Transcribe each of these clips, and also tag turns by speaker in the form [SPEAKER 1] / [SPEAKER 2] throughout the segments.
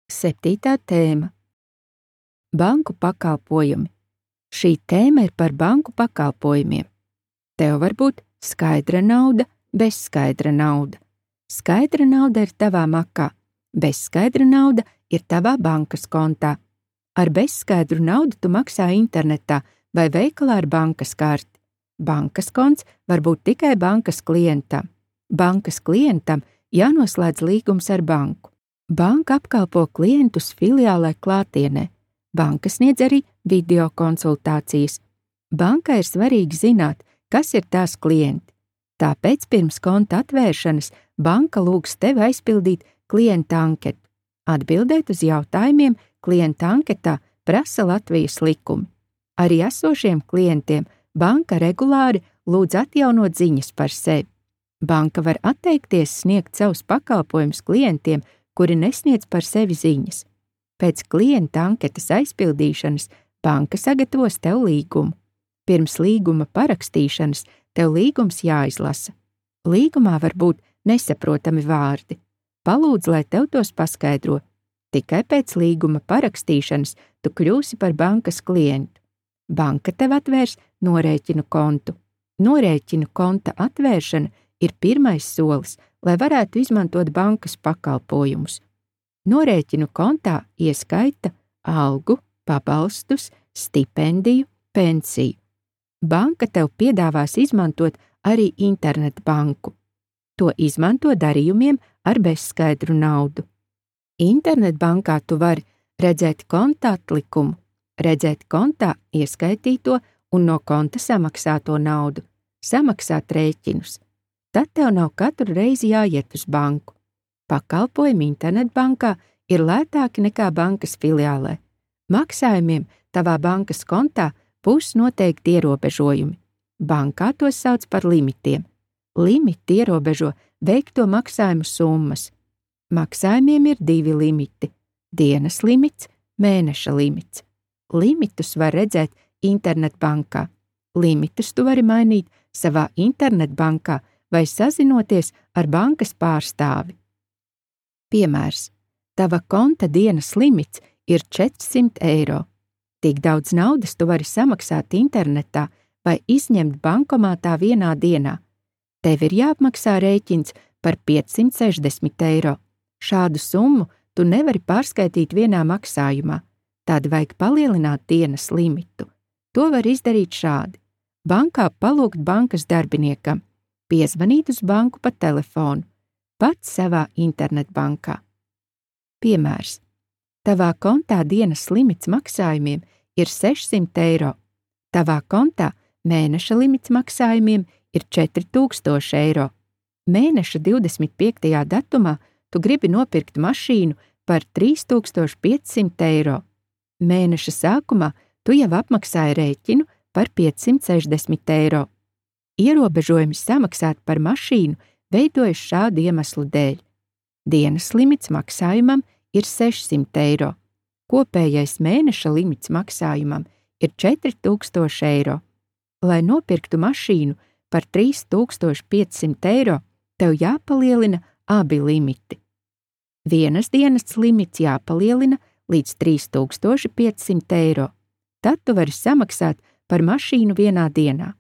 [SPEAKER 1] 7. tēma – banku pakalpojumi. Šī tēma ir par banku pakalpojumiem. Tev var būt skaidra nauda, bezskaidra nauda. Skaidra nauda ir tavā makā, bezskaidra nauda ir tavā bankas kontā. Ar bezskaidru naudu tu maksā internetā vai veikalā ar bankas karti. Bankas konts var būt tikai bankas klientam. Bankas klientam jānoslēdz līgums ar banku. Banka apkalpo klientus filiālē klātienē. Banka sniedz arī video konsultācijas. Bankai ir svarīgi zināt, kas ir tās klienti. Tāpēc pirms konta atvēršanas banka lūgs tevi aizpildīt klienta anketu. Atbildēt uz jautājumiem klienta anketā prasa Latvijas likumi. Arī esošiem klientiem banka regulāri lūdz atjaunot ziņas par sevi. Banka var atteikties sniegt savus pakalpojumus klientiem, kuri nesniedz par sevi ziņas. Pēc klienta anketas aizpildīšanas banka sagatavos tev līgumu. Pirms līguma parakstīšanas tev līgums jāizlasa. Līgumā var būt nesaprotami vārdi. Palūdz, lai tev tos paskaidro. Tikai pēc līguma parakstīšanas tu kļūsi par bankas klientu. Banka tev atvērs norēķinu kontu. Norēķinu konta atvēršana ir pirmais solis, lai varētu izmantot bankas pakalpojumus. Norēķinu kontā ieskaita algu, pabalstus, stipendiju, pensiju. Banka tev piedāvās izmantot arī internetbanku. To izmanto darījumiem ar bezskaidru naudu. Internetbankā tu vari redzēt konta atlikumu, redzēt kontā ieskaitīto un no konta samaksāto naudu, samaksāt rēķinus. Tad tev nav katru reizi jāiet uz banku. Pakalpojumi internetbankā ir lētāki nekā bankas filiālē. Maksājumiem tavā bankas kontā būs noteikti ierobežojumi. Bankā tos sauc par limitiem. Limiti ierobežo veikto maksājumu summas. Maksājumiem ir 2 limiti – dienas limits, mēneša limits. Limitus var redzēt internetbankā. Limitus tu vari mainīt savā internetbankā vai sazinoties ar bankas pārstāvi. Piemērs. Tava konta dienas limits ir 400 eiro. Tik daudz naudas tu vari samaksāt internetā vai izņemt bankomātā vienā dienā. Tev ir jāapmaksā rēķins par 560 eiro. Šādu summu tu nevari pārskaitīt vienā maksājumā. Tad vajag palielināt dienas limitu. To var izdarīt šādi. Bankā palūgt bankas darbiniekam, piezvanīt uz banku pa telefonu, pats savā internetbankā. Piemērs. Tavā kontā dienas limits maksājumiem ir 600 eiro. Tavā kontā mēneša limits maksājumiem ir 4000 eiro. Mēneša 25. datumā tu gribi nopirkt mašīnu par 3500 eiro. Mēneša sākumā tu jau apmaksāji rēķinu par 560 eiro. Ierobežojumi samaksāt par mašīnu veidojas šādu iemeslu dēļ. Dienas limits maksājumam ir 600 eiro. Kopējais mēneša limits maksājumam ir 4000 eiro. Lai nopirktu mašīnu par 3500 eiro, tev jāpalielina abi limiti. Vienas dienas limits jāpalielina līdz 3500 eiro. Tad tu vari samaksāt par mašīnu vienā dienā.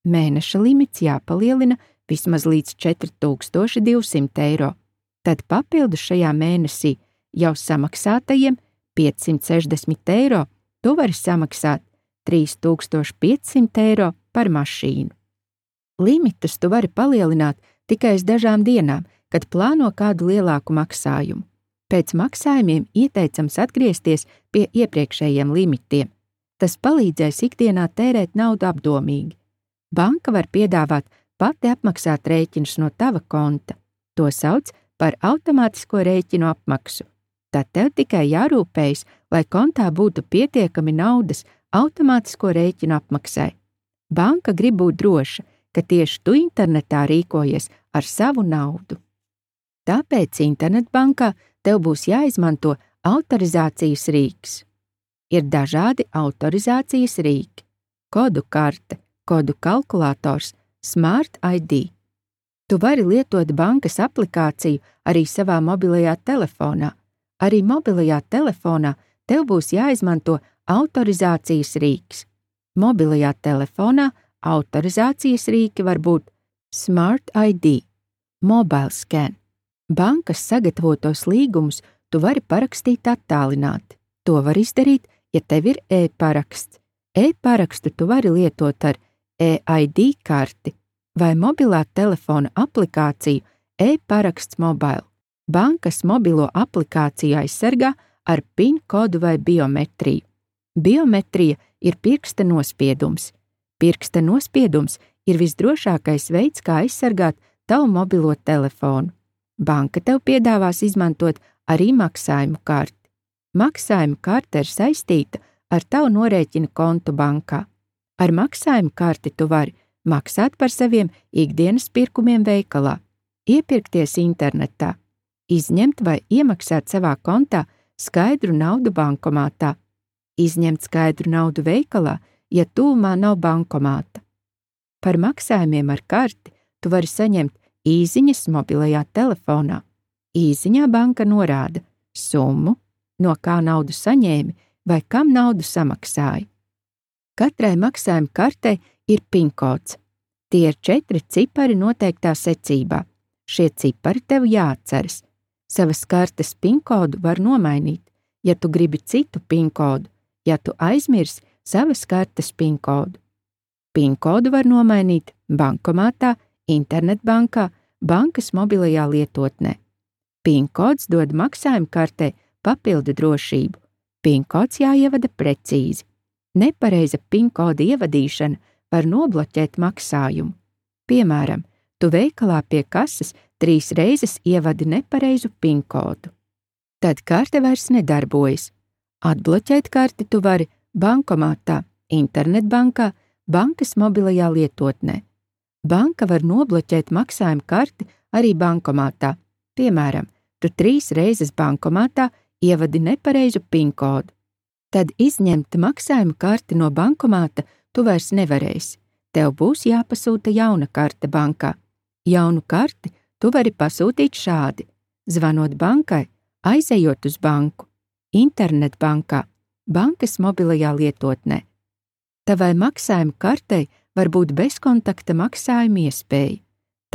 [SPEAKER 1] Mēneša limits jāpalielina vismaz līdz 4200 eiro. Tad papildus šajā mēnesī jau samaksātajiem 560 eiro tu vari samaksāt 3500 eiro par mašīnu. Limitus tu vari palielināt tikai uz dažām dienām, kad plāno kādu lielāku maksājumu. Pēc maksājumiem ieteicams atgriezties pie iepriekšējiem limitiem. Tas palīdzēs ikdienā tērēt naudu apdomīgi. Banka var piedāvāt pati apmaksāt rēķinus no tava konta. To sauc par automātisko rēķinu apmaksu. Tad tev tikai jārūpējas, lai kontā būtu pietiekami naudas automātisko rēķinu apmaksai. Banka grib būt droša, ka tieši tu internetā rīkojies ar savu naudu. Tāpēc internetbankā tev būs jāizmanto autorizācijas rīks. Ir dažādi autorizācijas rīki – kodu karte, kodu kalkulators, Smart ID. Tu vari lietot bankas aplikāciju arī savā mobilajā telefonā. Arī mobilajā telefonā tev būs jāizmanto autorizācijas rīks. Mobilajā telefonā autorizācijas rīki var būt Smart ID, Mobile Scan. Bankas sagatavotos līgumus tu vari parakstīt attālināti. To var izdarīt, ja tev ir e-paraksts. E-parakstu tu vari lietot ar e-ID karti vai mobilā telefona aplikāciju e-paraksts mobile. Bankas mobilo aplikāciju aizsargā ar PIN kodu vai biometriju. Biometrija ir pirksta nospiedums. Pirksta nospiedums ir visdrošākais veids, kā aizsargāt tavu mobilo telefonu. Banka tev piedāvās izmantot arī maksājumu karti. Maksājuma karte ir saistīta ar tavu norēķina kontu bankā. Ar maksājumu karti tu vari maksāt par saviem ikdienas pirkumiem veikalā, iepirkties internetā, izņemt vai iemaksāt savā kontā skaidru naudu bankomātā, izņemt skaidru naudu veikalā, ja tuvumā nav bankomāta. Par maksājumiem ar karti tu vari saņemt īziņas mobilajā telefonā. Īziņā banka norāda summu, no kā naudu saņēmi vai kam naudu samaksāji. Katrai maksājuma kartei ir PIN kods. Tie ir 4 cipari noteiktā secībā. Šie cipari tev jāatceras. Savas kartes PIN kodu var nomainīt, ja tu gribi citu PIN kodu, ja tu aizmirsi savas kartes PIN kodu. PIN kodu var nomainīt bankomātā, internetbankā, bankas mobilajā lietotnē. PIN kods dod maksājuma kartei papildu drošību. PIN kods jāievada precīzi. Nepareiza PIN koda ievadīšana var nobloķēt maksājumu. Piemēram, tu veikalā pie kases 3 reizes ievadi nepareizu PIN kodu. Tad karte vairs nedarbojas. Atbloķēt karti tu vari bankomātā, internetbankā, bankas mobilajā lietotnē. Banka var nobloķēt maksājuma karti arī bankomātā. Piemēram, tu 3 reizes bankomātā ievadi nepareizu PIN kodu. Tad izņemt maksājuma karti no bankomāta tu vairs nevarēsi. Tev būs jāpasūta jauna karte bankā. Jaunu karti tu vari pasūtīt šādi: zvanot bankai, aizejot uz banku, internetbankā, bankas mobilajā lietotnē. Tavai maksājuma kartei var būt bezkontakta maksājuma iespēja.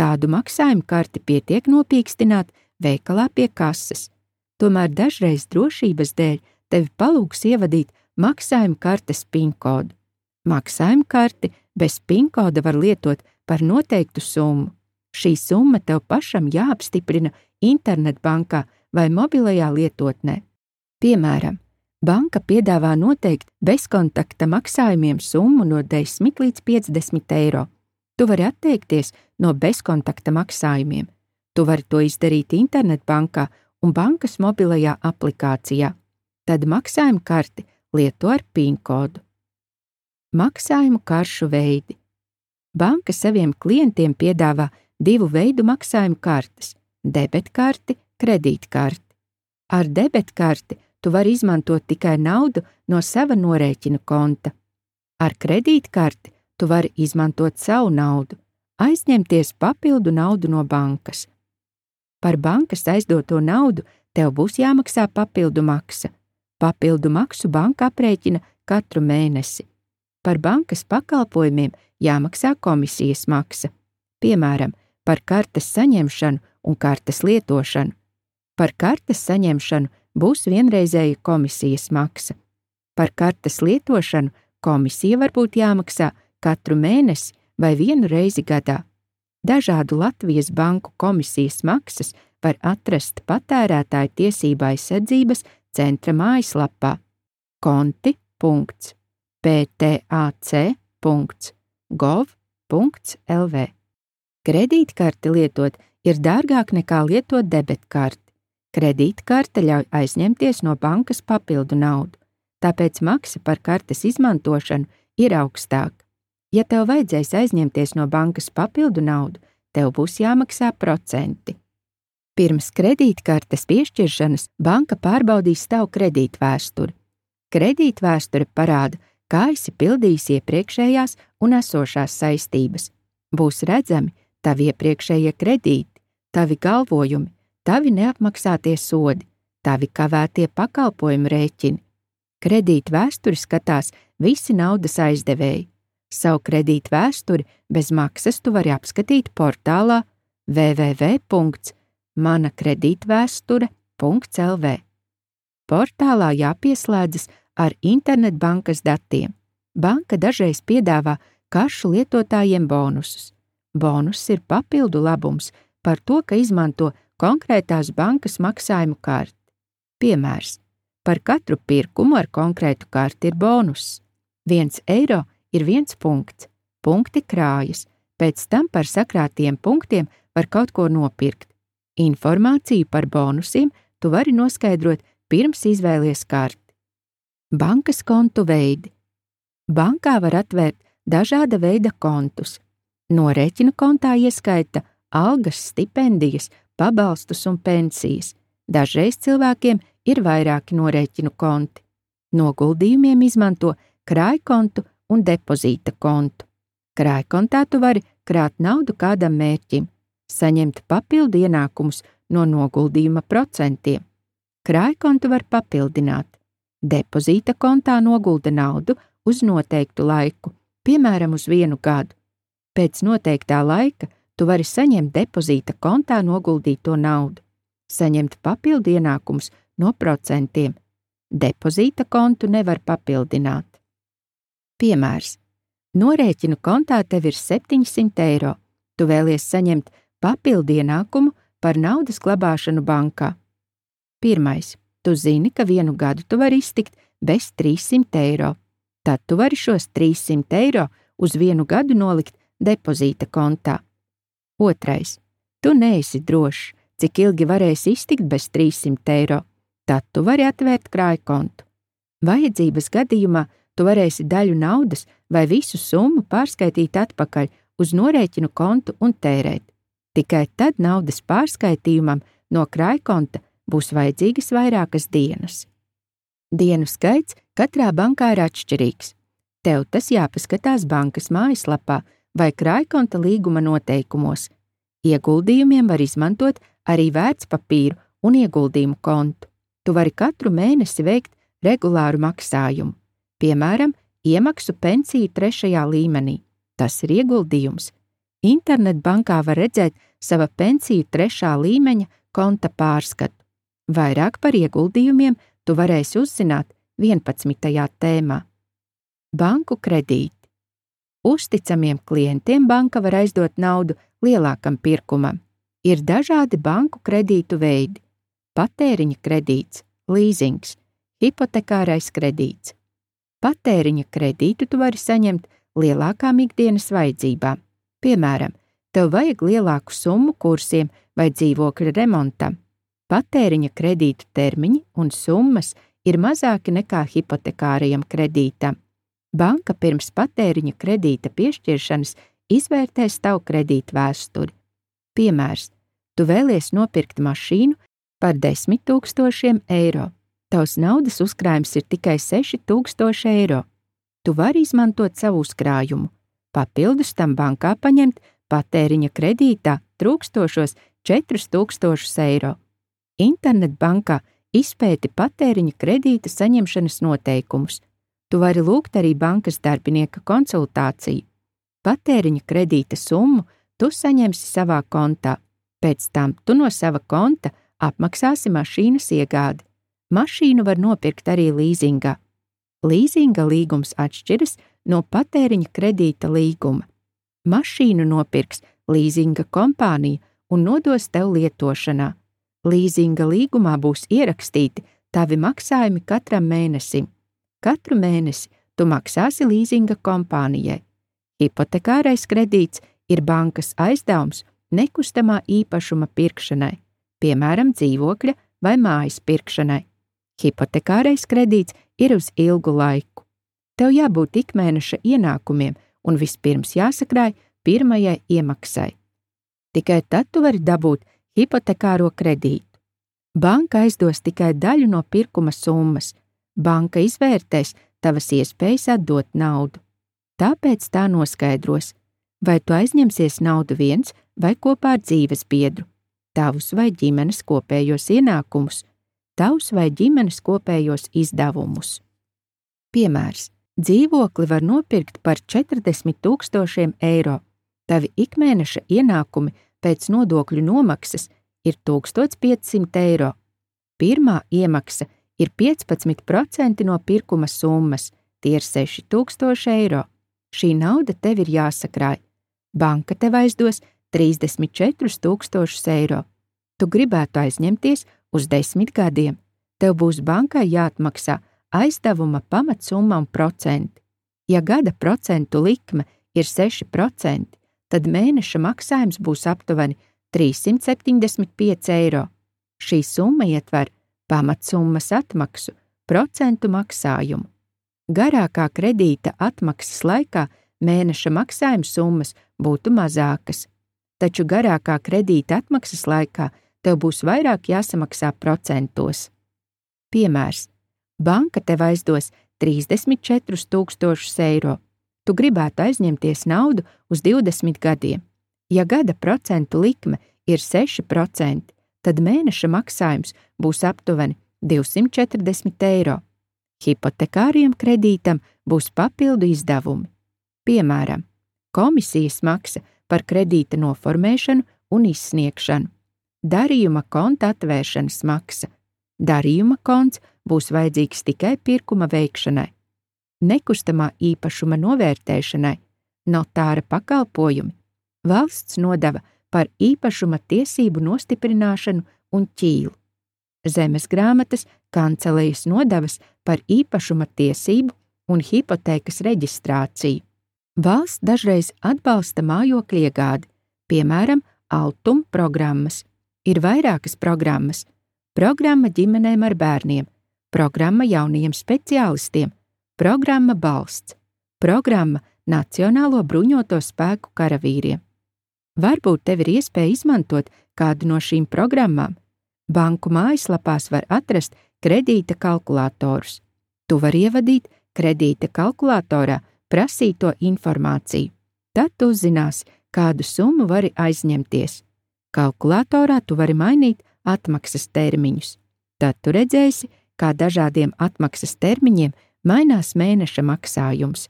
[SPEAKER 1] Tādu maksājuma karti pietiek nopīkstināt veikalā pie kases. Tomēr dažreiz drošības dēļ tevi palūgs ievadīt maksājuma kartes PIN kodu. Maksājuma karti bez PIN koda var lietot par noteiktu summu. Šī summa tev pašam jāapstiprina internetbankā vai mobilajā lietotnē. Piemēram, banka piedāvā noteikt bezkontakta maksājumiem summu no 10 līdz 50 eiro. Tu vari atteikties no bezkontakta maksājumiem. Tu vari to izdarīt internetbankā un bankas mobilajā aplikācijā. Tad maksājuma karti lieto ar PIN kodu. Maksājumu karšu veidi. Banka saviem klientiem piedāvā 2 veidu maksājumu kartes – debetkarti, kredītkarti. Ar debetkarti tu vari izmantot tikai naudu no sava norēķina konta. Ar kredītkarti tu vari izmantot savu naudu, aizņemties papildu naudu no bankas. Par bankas aizdoto naudu tev būs jāmaksā papildu maksa. Papildu maksu banka aprēķina katru mēnesi. Par bankas pakalpojumiem jāmaksā komisijas maksa. Piemēram, par kartes saņemšanu un kartes lietošanu. Par kartes saņemšanu būs vienreizēja komisijas maksa. Par kartes lietošanu komisija var būt jāmaksā katru mēnesi vai 1 reizi gadā. Dažādu Latvijas banku komisijas maksas var atrast patērētāju tiesību aizsardzības centra mājaslapā konti.ptac.gov.lv. Kredītkarti lietot ir dārgāk nekā lietot debetkarti. Kredītkarte ļauj aizņemties no bankas papildu naudu, tāpēc maksa par kartes izmantošanu ir augstāka. Ja tev vajadzēs aizņemties no bankas papildu naudu, tev būs jāmaksā procenti. Pirms kredītkartes piešķiršanas banka pārbaudīs tavu kredītvēsturi. Kredītvēsture parāda, kā esi pildījis iepriekšējās un esošās saistības. Būs redzami tavi iepriekšējie kredīti, tavi galvojumi, tavi neapmaksātie sodi, tavi kavētie pakalpojumu rēķini. Kredīta vēsturi skatās visi naudas aizdevēji. Savu kredīta vēsturi bez maksas tu vari apskatīt portālā www.manakredītvēsture.lv. Portālā jāpieslēdzas ar internetbankas datiem. Banka dažreiz piedāvā karšu lietotājiem bonusus. Bonus ir papildu labums par to, ka izmanto konkrētās bankas maksājumu karti. Piemērs: par katru pirkumu ar konkrētu karti ir bonus. 1 eiro ir 1 punkts. Punkti krājas, pēc tam par sakrātiem punktiem var kaut ko nopirkt. Informāciju par bonusiem tu vari noskaidrot pirms izvēlies karti. Bankas kontu veidi. Bankā var atvērt dažāda veida kontus. Norēķinu kontā ieskaita algas, stipendijas, pabalstus un pensijas. Dažreiz cilvēkiem ir vairāki norēķinu konti. Noguldījumiem izmanto krājkontu un depozīta kontu. Krājkontā tu vari krāt naudu kādam mērķim, saņemt papildu ienākumus no noguldījuma procentiem. Krājkontu var papildināt. Depozīta kontā nogulda naudu uz noteiktu laiku, piemēram, uz 1 gadu. Pēc noteiktā laika tu vari saņemt depozīta kontā noguldīto naudu, saņemt papildu ienākumus no procentiem. Depozīta kontu nevar papildināt. Piemērs: norēķinu kontā tev ir 700 eiro. Tu vēlies saņemt papildu ienākumu par naudas glabāšanu bankā. 1. Tu zini, ka 1 gadu tu vari iztikt bez 300 eiro. Tad tu vari šos 300 eiro uz 1 gadu nolikt depozīta kontā. 2. Tu neesi drošs, cik ilgi varēsi iztikt bez 300 eiro. Tad tu vari atvērt krājkontu. Vajadzības gadījumā tu varēsi daļu naudas vai visu summu pārskaitīt atpakaļ uz norēķinu kontu un tērēt. Tikai tad naudas pārskaitījumam no krājkonta būs vajadzīgas vairākas dienas. Dienu skaits katrā bankā ir atšķirīgs. Tev tas jāpaskatās bankas mājaslapā vai krājkonta līguma noteikumos. Ieguldījumiem var izmantot arī vērtspapīru un ieguldījumu kontu. Tu vari katru mēnesi veikt regulāru maksājumu. Piemēram, iemaksu pensiju 3. līmenī. Tas ir ieguldījums. Internetbankā var redzēt sava pensiju 3. līmeņa konta pārskatu. Vairāk par ieguldījumiem tu varēsi uzzināt 11. tēmā. Banku kredīti. Uzticamiem klientiem banka var aizdot naudu lielākam pirkumam. Ir dažādi banku kredītu veidi: patēriņa kredīts, līzings, hipotekārais kredīts. Patēriņa kredītu tu vari saņemt lielākām ikdienas vajadzībām. Piemēram, tev vajag lielāku summu kursiem vai dzīvokļa remontam. Patēriņa kredītu termiņi un summas ir mazāki nekā hipotekārajam kredītam. Banka pirms patēriņa kredīta piešķiršanas izvērtēs tavu kredītu vēsturi. Piemērs: tu vēlies nopirkt mašīnu par 10 000 eiro. Tavs naudas uzkrājums ir tikai 6000 eiro. Tu vari izmantot savu uzkrājumu. Papildus tam bankā paņemt patēriņa kredītā trūkstošos 4000 eiro. Internetbankā izpēti patēriņa kredīta saņemšanas noteikumus. Tu vari lūgt arī bankas darbinieka konsultāciju. Patēriņa kredīta summu tu saņemsi savā kontā. Pēc tam tu no sava konta apmaksāsi mašīnas iegādi. Mašīnu var nopirkt arī līzingā. Līzinga līgums atšķiras no patēriņa kredīta līguma. Mašīnu nopirks līzinga kompānija un nodos tev lietošanā. Līzinga līgumā būs ierakstīti tavi maksājumi katram mēnesim. Katru mēnesi tu maksāsi līzinga kompānijai. Hipotekārais kredīts ir bankas aizdevums nekustamā īpašuma pirkšanai, piemēram, dzīvokļa vai mājas pirkšanai. Hipotekārais kredīts ir uz ilgu laiku. Tev jābūt ikmēneša ienākumiem un vispirms jāsakrāj pirmajai iemaksai. Tikai tad tu vari dabūt hipotekāro kredītu. Banka aizdos tikai daļu no pirkuma summas. Banka izvērtēs tavas iespējas atdot naudu. Tāpēc tā noskaidros, vai tu aizņemsies naudu viens vai kopā ar dzīvesbiedru, tavus vai ģimenes kopējos ienākumus. tavus vai ģimenes kopējos izdevumus. Piemērs: dzīvokli var nopirkt par 40 000 eiro. Tavi ikmēneša ienākumi pēc nodokļu nomaksas ir 1500 eiro. Pirmā iemaksa ir 15% no pirkuma summas, tie ir 6000 eiro. Šī nauda tev ir jāsakrāj. Banka tev aizdos 34 000 eiro. Tu gribētu aizņemties uz 10 gadiem. Tev būs bankai jāatmaksā aizdevuma pamatsumma un procenti. Ja gada procentu likme ir 6%, tad mēneša maksājums būs aptuveni 375 eiro. Šī summa ietver pamatsummas atmaksu, procentu maksājumu. Garākā kredīta atmaksas laikā mēneša maksājuma summas būtu mazākas, taču garākā kredīta atmaksas laikā tev būs vairāk jāsamaksā procentos. Piemērs: banka tev aizdos 34 000 eiro. Tu gribētu aizņemties naudu uz 20 gadiem. Ja gada procentu likme ir 6%, tad mēneša maksājums būs aptuveni 240 eiro. Hipotekāriem kredītam būs papildu izdevumi. Piemēram, komisijas maksa par kredīta noformēšanu un izsniegšanu, darījuma konta atvēršanas maksa. Darījuma konts būs vajadzīgs tikai pirkuma veikšanai, nekustamā īpašuma novērtēšanai, notāra pakalpojumi, valsts nodeva par īpašuma tiesību nostiprināšanu un ķīlu, zemes grāmatas kancelejas nodevas par īpašuma tiesību un hipotēkas reģistrāciju. Valsts dažreiz atbalsta mājokļu iegādi, piemēram, Altum programmas. Ir vairākas programmas: programma ģimenēm ar bērniem, programma jaunajiem speciālistiem, programma Balsts, programma Nacionālo bruņoto spēku karavīriem. Varbūt tev ir iespēja izmantot kādu no šīm programmām. Banku mājaslapās var atrast kredīta kalkulatorus. Tu vari ievadīt kredīta kalkulatorā prasīto informāciju. Tad tu uzzināsi, kādu summu vari aizņemties. Kalkulatorā tu vari mainīt atmaksas termiņus. Tad tu redzēsi, kā dažādiem atmaksas termiņiem mainās mēneša maksājums.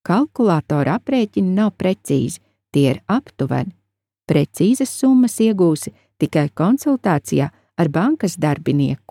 [SPEAKER 1] Kalkulatora aprēķini nav precīzi, tie ir aptuveni. Precīzas summas iegūsi tikai konsultācijā ar bankas darbinieku.